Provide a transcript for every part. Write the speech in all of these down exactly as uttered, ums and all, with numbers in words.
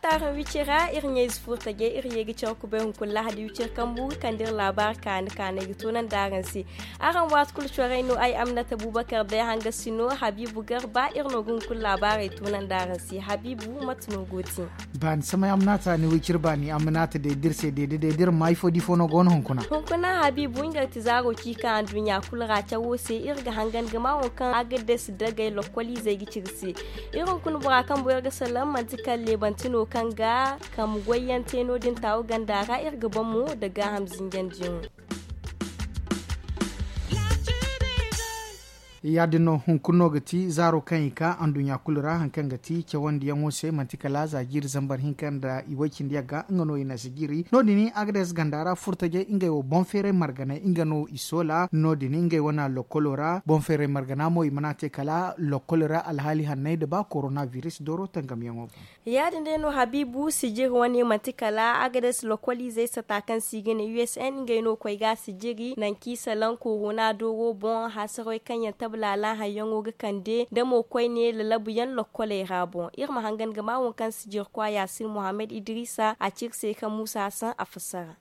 Taarey wicira iri ɲayze furtajey iri ye ga care kubay hunkuna lahadi wicira kambu ga kande iri laabaari kaani kaanay ga toonandi araŋ se. Araŋ waati kulu corey no ay amnata buubakar day hangasi no habiibu garba iri no ga hunkuna laabaarey toonandi araŋ se habiibu mate no go te? Baani samay amnata ni wicira baani amnata day da iri se day da day da iri ma ifo da ifo no go no hunkuna. Hunkuna habiibu nga ga ti zaaro ciika anduɲɲa kulu ra cawo se iri ga hangan ga ma waŋ kaŋ agades dagay lokkoliizey ga ci iri se. Iri hunkuna bora kaŋ boyar ga salaŋ manti kala leebanti no kaŋ ga kambe goyyaŋ te no- din taawu ganda ra iri ga ban mo nda gaaham zinjandiyaŋo. Ya- din no hunkuna no ga ti zaaro kaŋ i ka anduɲɲa kulu ra hari kaŋ ga ti cawandiyaŋo se manti kala za jiiri zambar hinka nda i way- cindi yagga nga no i na si jiiri no- din agades ganda ra furtajey ngey wo boŋ feeray marganay nga no i soola no- din ngey wane lokkolo ra boŋ feeray margana mo i mana te kala lokkolo ra alhaali hanney nda ba korona biris dooro tangamyaŋo boŋ. Ya- din day no habiibu sijiri wane manti kala agades lokkoliizey sata kaŋ se i ga ne u s n ngey no koy ga a sijiri nangu kaŋ i salaŋ korona dooro boŋ haasarey kaŋ yaŋ tablaala hayyaŋo ga kande nda mo koyne lalabu yaŋ lokkoley ra boŋ iri ma hangan ga ma waŋ kaŋ sijiri kwa yaasin muhammad idrisa a ci iri se kaŋ muusa hassan a fassara.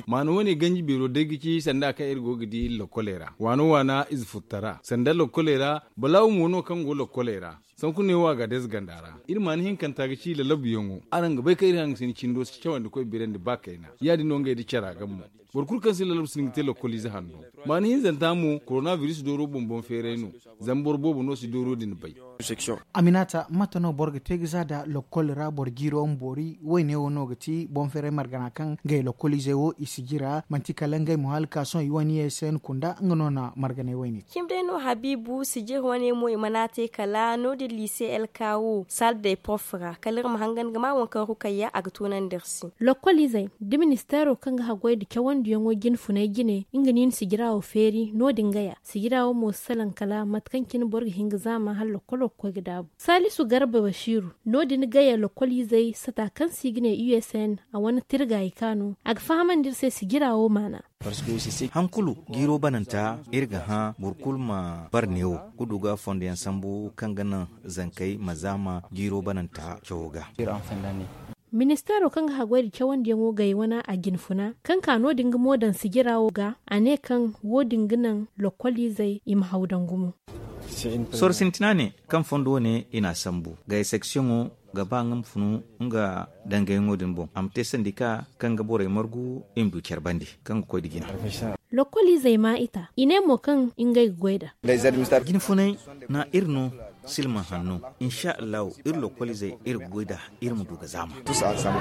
Maana wane ganji beero day ga ci sanda kaŋ iri go ga di lokkoley ra waana waana ize furta ra sanda lokkoley ra balaawu mo no kaŋ go lokkoley ra. Sanku ne wo a ga deeze ganda ra iri maana hinkanta ga ci lalabuyaŋo araŋ ga bay kaŋ iri haŋ ga si ni cindo si cawandi koy birandi ba kayna ya- din no ngey nda cara ga mo. Boro kulu kaŋ si lalabu si ni ga te lokoliize hanno maana hinzanta mo korona biris dooro boŋ boŋ feeray no. Zama boro boobo no si dooro din bay. Aminata mate no boro ga te ga za nda lokol ra boro jiiro ma boori wayne wo no ga ti boŋ feeray margana kaŋ ngey lokoliizey wo i si jira manti kala ngey mo hala ka sohõ i wane ye se ni kunda nga no na marganay wayne. Cimi day no habiibu sijir wane mo i mana te kala no- din liise el kawo sal day pof ra kala iri ma hangan ga ma waŋ kaŋ rukayya a ga toonandi iri se. Lokoliizey da ministeero kaŋ ga haggoy nda cawandiyaŋo jine funay jine nga no i na sijira wo feeri no- din gaya sijira wo mo si salaŋ kala mate kaŋ cine boro ga hin ga zaama hala lokolo ga koy ga daabu. Saalisu garba basiiru no- din gaya lokoliizey sata kaŋ se i ga ne u s n a wane tirga i kaanu a ga fahamandi iri se sijira wo maana. Hari kulu jiiro bananta iri ga hã boro kulu ma bare neewo ga du ga fondo yaŋ sambu kaŋ ga naŋ zankey ma zaama jiiro bananta cawo ga. Ministeero kaŋ ga haggoy nda cawandiyaŋo gay wane a jine funa kaŋ ka no- din ga mo daŋ sijira wo ga a ne kaŋ wo- din ga naŋ lokoliizey i ma haw daŋ gumo. Sorro sintina ne kaŋ fondo wane i n'a sambu gay seksiyoŋo ga ba nga ma funu nga dangayaŋo din boŋ a ma te sandika kaŋ ga borey margu i ma du care bande kaŋ ga koy nda jina. Lokoliizey ma i ta i ne mo kaŋ ngey ga goy nd'a. Jine funay na iri no silma hanno. Insa allahu iri lokoliizey iri ga goy nd'a iri ma du ga zaama.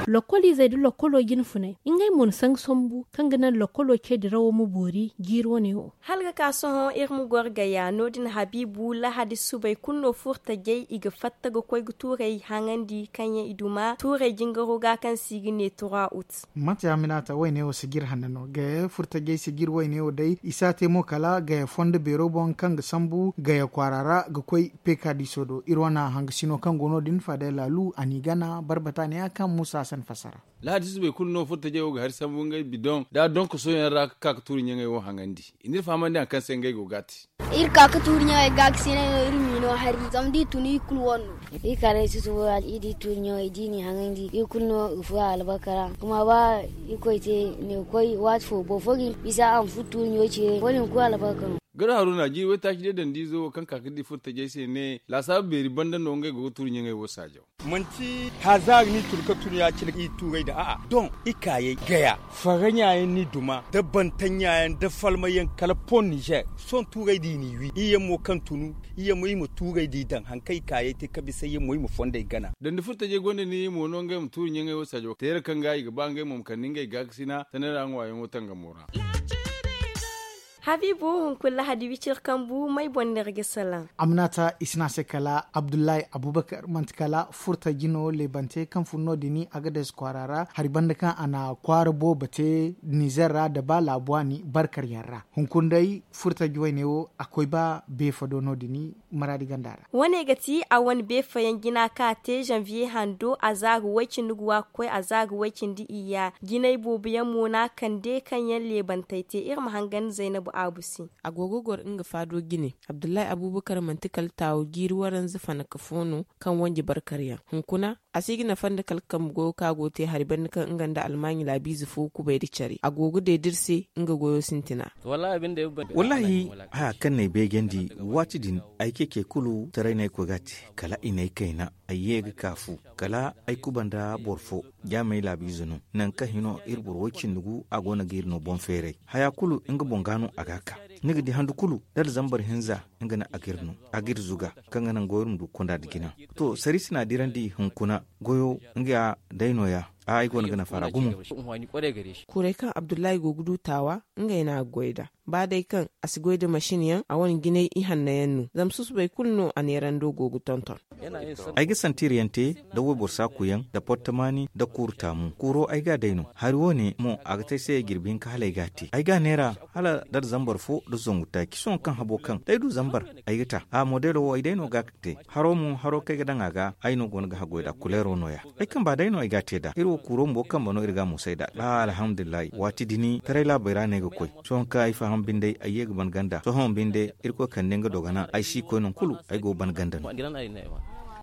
Lokoliizey nda lokolo jine funay ngey mo na sanga sambu kaŋ ga naŋ lokolo ce dirawo ma boori jiiri wane wo. Hala ga ka sohõ iri ma goro gaya no- din habiibu lahadi subay kulu no furtajey i ga fatta ga koy ga tuurey haŋandi kaŋ yaŋ i duma tuurey jingaro ga kaŋ se i ga ne trois août. Mate ya minaata wayne wo sijir hanno no gaya furtajey sijir wayne wo day i si a te mo kala gaya fondo beero boŋ kaŋ ga sambu gaya kwaara ra ga koy pekadiso do iri wane hangasino kaŋ go no- din faada laalu a n'i gana barbata ne ya kaŋ muusa hasan fassara. Lahadi subay kulu no furtajey wo ga hari sambu ngey bidoŋ da donkosoyaŋ ra ga ka ga tuuri ɲaŋey wo haŋandi. I n'iri fahamandi hari kaŋ se ngey go ga a te. Iri ka ga tuuri ɲaŋey ga ga sinay no iri m'i no hari zama da i tun i kulu wane no. Iri ka day susubo ra iri di tuuri ɲaŋey da i n'i haŋandi iri kulu no ga furo albarka ra. Kuma ba irkoy te ne ga koy waati fo boro fo ga hin bisa a ma furo tuuri ɲaŋo ce wo- din kulu albarka no. Garo haruna jiiri waytaaci day dandiizo wo kaŋ ka ga di furtajey se ne laasaabu beeri banda no ngey go ga tuuri ɲaŋey wo saajaw. Manti hazaari no i tun ga tun ya- cine i tuurey da a'a doŋ i kaayey gaya farra ɲaayaŋ no i duma da banta ɲaayaŋ da falmayaŋ kala pon nizer. Sohõ tuurey da i n'i wi iri yaŋ mo kaŋ tunu iri yaŋ mo iri ma tuurey da i daŋ hari kaŋ i kaayey te ka bisa iri yaŋ mo iri ma fondey gana. Dandi furtajey gonda ni mo no ngey ma tuuri ɲaŋey wo saajaw teera kaŋ ga i ga ba ngey mo ma kande ngey gaakasina sanay ra ŋwaayaŋo tangamo ra. Habiibu hunkuna lahadi wiciri kambu may boŋ no iri ga salaŋ. Aminata i si ne a se kala abdullahi abubakar manti kala furta jino leebante kaŋ fun no- din agades kwaara ra hari banda kaŋ a na kwaara boobo te nizer ra nda ba laabu waani barkar yaŋ ra. Hunkuna day furta juwayne wo a koy ba beefado no- din maraadi ganda ra. Wane ga ti a wane beefayaŋ jina kaŋ a te zanviye hando a za ga way-cindi ga wa ga koy a za ga way-cindi iyya jinay boobo yaŋ mo no a kande kaŋ yaŋ leebantey te iri ma hangan zaynabu. A go ga goro nga faado jine. Abdullahi abubakar manti kala taawo jiiri waranza fanaka fo no, kaŋ wanji barkar yaŋ hunkuna. A si ga nafa nda kala kambe goyo kaŋ a go ga te hari banda kaŋ nga nda almaaɲi laabiize fo kubay nda care a go ga deeda iri se. Nga goyo sintina. Wallaahi, haya kaŋ no ay beejandi, waati din ay ceecey kulu taray no ay koy ga a te. Kala i na ay kayna, ay ye ga ka fu. Kala ay kuba nda boro fo, jaamey laabiize no. Nangu kaŋ hino iri boro way- cindi gu a go no ga iri no boŋ feeray. Haya kulu nga boŋ ga no a ga a ka. Ni ga di handu kulu, da alzambar hinza, nga no a ga iri no. A ga iri zuga, kaŋ ga naŋ goyo iri ma du ga konda nda jina. To sariisi na a dirandi hunkuna. Goyo nga day nooya. Ay go no ga nafa ra gumo. Kuray kaŋ abdullahi go ga du taawa, ngey no a ga goy nd'a. Ba day kaŋ a si goy nda masin yaŋ, a wane jinay ihanna yaŋ no. Zama susubay kulu no a neerando go ga tonton. Ay ga santiir yaŋ te, nda wayboro saaku yaŋ, nda portomaani, nda kuuru taamu. Kuuro ay ga a day no. Hari wo- ne mo a ga te ay se jirbi hinka hala ay ga a te. Ay ga a neera, hala nda zambar fo nda zangu taaci sohõ kaŋ habo kaŋ da ay du zambar, ay ga ta a modeelo wo ay day no ga a te. Haro mo haro kaŋ ay ga daŋ a ga, ay no go no ga haggoy nd'a kuleero nooya. Ay kamba day no ay ga a te nd'a. Iri wo kuuro bumbo kamba no iri ga a moosay nd'a. Alhamdulillahi, waati din taray laabey ra no ay ga koy. Sohõ kaŋ ay faham binde ay ye ga ban ganda sohõ binde, irkoy kande nga dogana ay si koy nangu kulu. Ay go ga ban ganda no.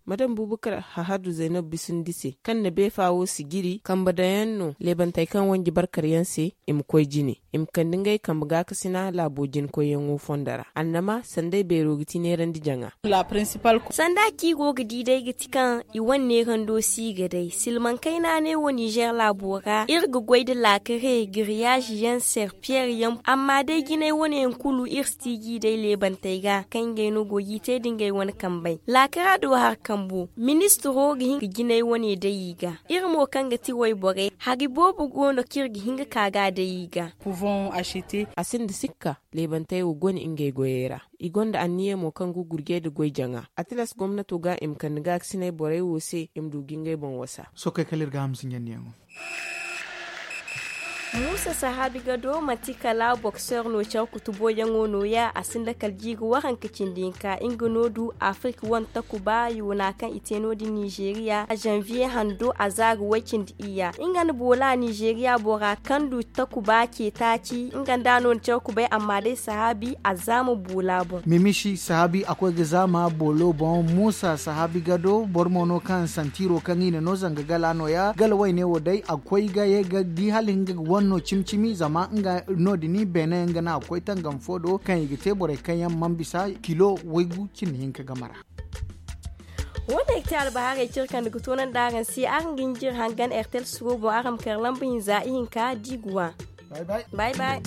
Madam bubakar hahadu zaynab bisindi se, kaŋ na beefa wo si jiri kambe daŋ yaŋ no leebantey kaŋ wanji barkar yaŋ se, i ma koy jine, i ma kande ngey kambe gaakasina laabo jina koyyaŋo fondo ra. Annama sanday beero ga ti neerandi jaŋa. Sanda kaŋ i go ga di day ga ti kaŋ i wane neerando si ga day silmaŋ kayna ne wo ninzeer laabo ra iri ga goy nda laakare giriyaazi yaŋ serpiyeer yaŋ. Amma day jinay wane yaŋ kulu iri si ti g'i day leebantey ga kaŋ ngey no go g'i te nda ngey wane kambey. Laakara do hari kambo ministiro ga hin ga jinay wane day i ga. Iri mo kaŋ ga ti wayborey hari boobo go no kaŋ iri ga hin ga ka ga a day i ga. A sinda sikka, leebantey wo go no ngey goyey ra. I gonda anniya mo kaŋ ga gurjey nda goy jaŋa a tilas gomnato ga i ma kande gaakasinay borey wo se i ma du ga ngey boŋ wasa. Sohõ kay kala iri ga hamsi ɲandiyaŋo. Muusa sahaabi gado manti kala bokseer no care kutuboyaŋo nooya a sinda kala jiiri waranka cindi hinka nga no du afirik wane takuba yoona kaŋ i te no- din nizeeriya zanviye hando a zaari way- cindi iyya nga nda boola nizeeriya bora kaŋ du takuba ce taaci nga nda a no na care kubay amma day sahaabi a zaama boola boŋ. Mimisi sahaabi a koy ga zaama boolo boŋ muusa sahaabi gado boro mo no kaŋ santiiro kaŋ i na no zanga gala nooya gala wayne wo day a koy ga ye ga di hala nga ga wane no cimi-cimi zama nga no- din beene nga no a ga koy tangam fo do kaŋ i ga te borey kaŋ yaŋ mana bisa kilo waygu cindi hinka game ra. Wo- ne ga te albahaarey kaŋ iri kande ga toonandi araŋ se araŋ ga hin ga iri hangan ertel suro boŋ araŋ ma kar lamba hinza ihinka diiguwa. Bay bay.